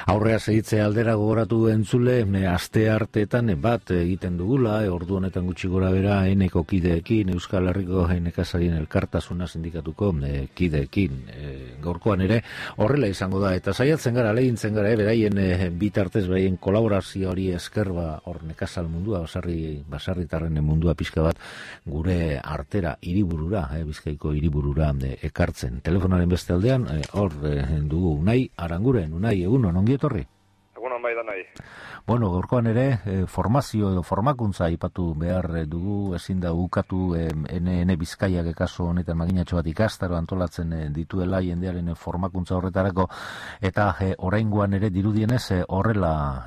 Aurrea segitzea aldera gogoratu entzule, aste arteetan bat egiten dugula, ordu honetan gutxi gora bera, eneko kideekin, Euskal Herriko nekazarien elkartasuna sindikatuko kideekin. Gaurkoan ere, horrela izango da, eta saiatzen gara, lehintzen gara, beraien bitartez, beraien kolaborazio hori esker, hor nekazal mundua, basarritarren mundua pixka bat, gure artera, hiriburura, Bizkaiko hiriburura ekartzen. Telefonaren beste aldean, hor dugu Unai Aranguren, Unai, egunon, ongi etorri? Egunon bai da nahi. Bueno, gaurkoan ere, formazio edo formakuntza aipatu behar dugu, ezin da ukatu ene Bizkaiak kasu honetan maginatxo bat ikastaro antolatzen dituela jendearen formakuntza horretarako, eta oraingoan ere dirudienez horrela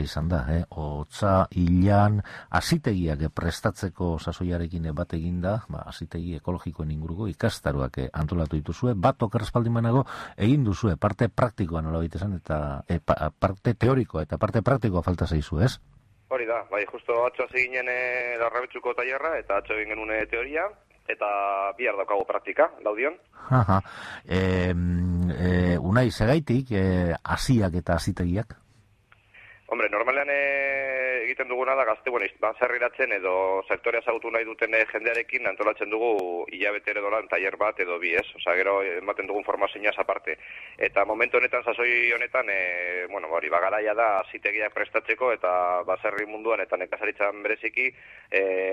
izan da, hotza hilan hasitegiak prestatzeko sasoiarekin bat eginda, hasitegi ekologikoen inguruko ikastaroak antolatu dituzue, bat okerrespaldimanago egin duzue, parte praktikoa nola baitesan, eta parte teorikoa eta parte praktikoa falta zaizu, ez? Hori da, bai, justo atzo hasi ginen Larrabetxuko tailerra, eta atzo egin genuen teoria, eta bihar daukago praktika, laudion. Unai, segaitik, hasiak eta hasitegiak? Hombre, normalean egiten duguna da gazte, baserriratzen edo sektorea ezagutu nahi duten jendearekin antolatzen dugu hilabete ere dolan tailer bat edo bi, ez? Osea, gero ematen dugun formazioaz aparte. Eta momentu honetan, sasoi honetan, garaia da hasitegiak prestatzeko eta baserri munduan eta nekazaritzan bereziki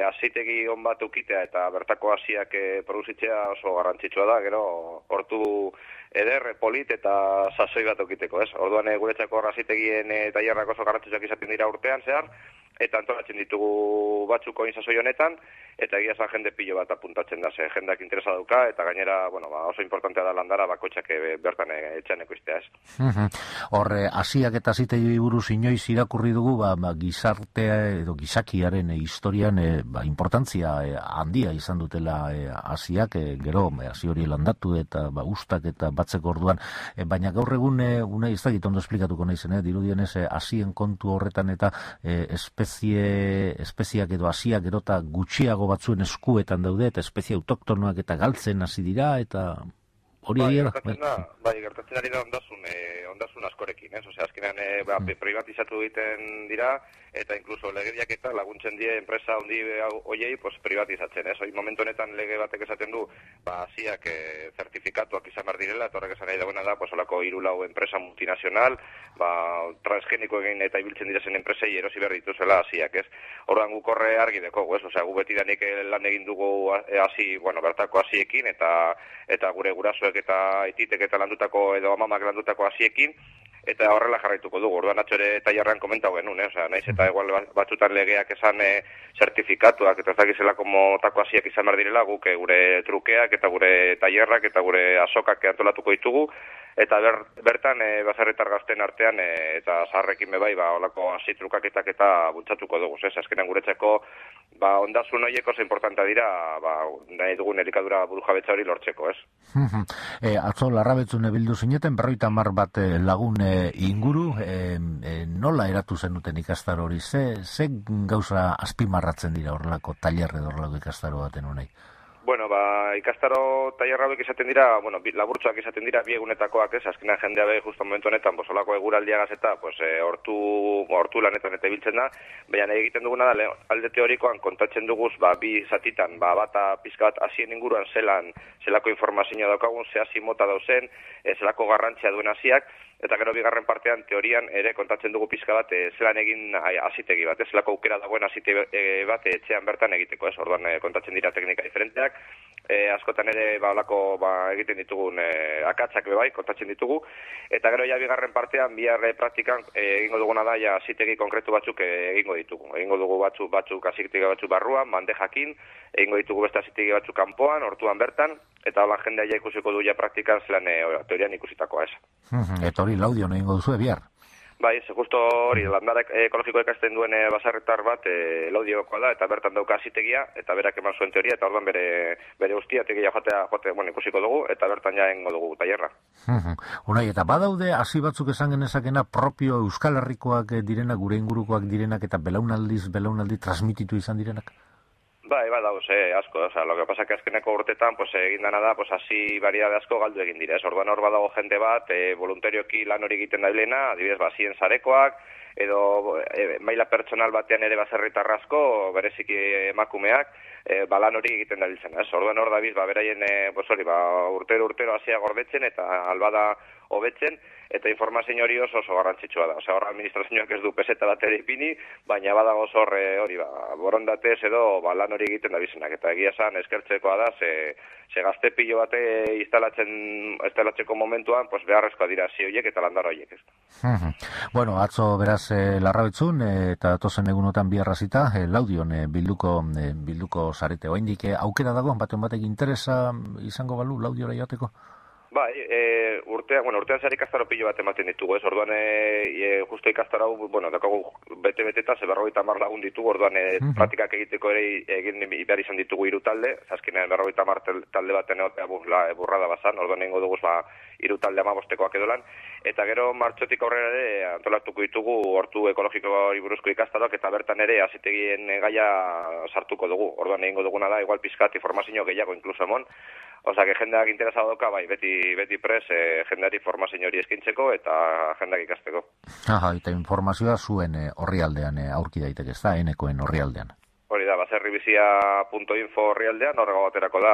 hasitegi on bat ukitea eta bertako hasiak produzitzea oso garrantzitsua da, gero hortu eder, polit eta sasoi bat okiteko, ez? Orduan guretzako hasitegien tailerrak oso garrantzitsuak izaten dira urtean zehar, eta antolatzen ditugu batzuk oin sasoi honetan, eta egia esan jende pilo bat apuntatzen da, ze jendeak interesa dauka, eta gainera, oso importantea da landara bakoitzak bertan etxean ekoiztea, ez? Hor, hasiak eta hasitegi buruz inoiz irakurri dugu, gizartea edo gizakiaren historian importantzia handia izan dutela hasiak, gero hasi hori landatu eta ustak eta batzeko orduan, baina gaur egun una ez dakit ondo esplikatuko naizen, dirudienez hasien kontu horretan eta espeziak edo hasiak gero eta gutxiago batzuen eskuetan daude, eta espezie autoktonoak eta galtzen hasi dira, eta hori egia da? Bai, gertatzen ari da ondasun askorekin, ez? Osea, azkenean privatizatu egiten dira, eta inkluso legediak eta laguntzen die enpresa handi hoiei privatizatzen, ez? Hoi momentu honetan lege batek esaten du, hasiak zertifikatuak izan behar direla, eta horrek esan nahi dagoena da, olako 3-4 enpresa multinazional, transgeniko egin eta ibiltzen direzen enpresei erosi behar dituzela hasiak, ez? Orduan guk horre argi dekogu, ez? Osea, gu beti danik lan egin dugu bertako hasiekin, eta gure gurasoek eta aititek eta landutako edo amamak landutako hasiekin, eta horrela jarraituko dugu. Orduan atzo ere tailerran komentau genuen, osea, naiz eta igual batzutan legeak esan zertifikatuak eta ez dakizelako motako hasiak izan behar direla, guk gure trukeak eta gure tailerrak eta gure azokak antolatuko ditugu, eta bertan baserritar gazten artean eta zaharrekin bebai olako hasi trukaketak eta bultzatuko dugu, ez? Azkenean guretzako ondasun horiek oso importantea dira nahi dugun elikadura burujabetza hori lortzeko, ez? Atzo Larrabetzun bildu zineten 50 bat lagun inguru, nola eratu zenuten ikastaro hori? Ze gauza azpimarratzen dira horrelako tailer edo horrelako ikastaro baten honei? Bueno, ikastaro tailer hauek izaten dira, laburtsuak izaten dira, bi egunetakoak, ez? Azkenean jendea be justo momentu honetan, olako eguraldiagaz eta hortu lanetan eta ibiltzen da, baina egiten duguna da, alde teorikoan kontatzen duguz, bi zatitan, bata pizka bat hasien inguruan zelako informazioa daukagun, ze hasi mota dauzen, zelako garrantzia duen hasiak, eta gero bigarren partean teorian ere kontatzen dugu pizka bat zelan egin hasitegi bat, zelako aukera dagoen hasitegi bat etxean bertan egiteko, ez? Orduan kontatzen dira teknika diferenteak, askotan ere egiten ditugun akatzak bebai, kontatzen ditugu, eta gero ja bigarren partean, bihar praktikan egingo duguna da hasitegi konkretu batzuk egingo ditugu. Egingo dugu batzuk hasitegi batzuk barruan, bandejakin, egingo ditugu beste hasitegi batzuk kanpoan, hortuan bertan, eta hola jendea ja ikusiko du ja praktikan zelan teorian ikusitakoa, ez? Eta hori laudion egingo duzu bihar? Bai, justo hori, landara ekologiko ikasten duen baserritar bat laudiokoa da, eta bertan dauka hasitegia, eta berak eman zuen teoria, eta orduan bere guztia tegia jote ikusiko dugu, eta bertan ja egingo dugu tailerra. Unai, eta badaude hasi batzuk esan genezakena propio Euskal Herrikoak direnak, gure ingurukoak direnak, eta belaunaldi transmititu izan direnak? Bai, dauz, asko, o sea, lo que pasa que azkeneko urtetan, pues egin dana da, pues hasi variedade asko galdu egin dira, orduan hor badago jende bat, voluntarioki lan hori egiten dabilena, adibidez, bazien sarekoak, edo maila pertsonal batean ere baserritar asko, bereziki emakumeak, lan hori egiten dabiltzen, orduan hor dabiz, beraien, urtero hasia gordetzen, eta albada hobetzen, eta informazio hori oso garrantzitsua da. Osea, hor administrazioak ez du peseta bat ere ipini, baina badago hor borondatez edo lan hori egiten dabizenak. Eta egia esan eskertzekoa da, ze gazte pilo bate instalatzeko momentuan, pues beharrezkoa dira horiek eta landar horiek. Bueno, atzo beraz larrabetzun, eta tozen egunotan biharrazita, Laudion bilduko zarete. Oraindik aukera dago, batek interesa izango balu Laudiora joateko? Bai, urtean zehar ikastaro pilo bat ematen ditugu, orduan justo ikastaro hau, dakagu bete-beteta, 50 lagun ditugu, orduan praktikak egiteko ere egin behar izan ditugu 3 talde, azkenean 50 talde baten egotea burrada bazan, orduan egingo dugu 3 talde 15-tekoak edolan, eta gero martxotik aurrera ere antolatuko ditugu hortu ekologikoari buruzko ikastaroak, eta bertan ere azitegien gaia sartuko dugu, orduan egingo duguna da, igual pizkat informazio gehiago inkluso emon, osea, que jendeak interesado doka, bai, beti pres, jendeari formazio hori eskintzeko eta jendeak ikasteko. Eta informazioa zuen orrialdean aurki daiteke, ez da, enekoen orrialdean. Hori da, baserribizia.info orrialdean, horrego baterako da,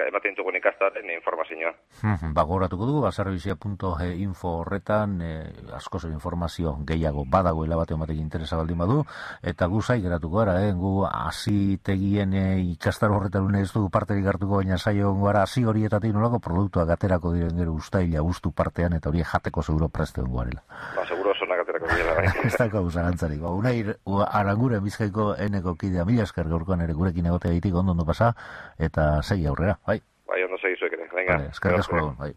ematen dugun ikastaren informazioa. Gogoratuko dugu, baserribizia.info horretan, asko zer informazio gehiago badagoela batean batek interesa baldin badu, eta gu zai geratuko gara, gu azitegien ikastaro horretan ez dugu parterik hartuko, baina saio gara azi horietatik nolako produktuak aterako diren gero ustaila guztu partean, eta hori jateko seguro preste hongoarela. Seguro zonak aterako direla, bai. Ez da gauz arantzarik. Unai Aranguren Bizkaiko eneko kidea, mila esker gaurkoan ere gurekin egotea ditik ondo pasa, eta segi aurrera, bai? Bai, ondo segi zuek ere, venga. Eskerrik asko, bai.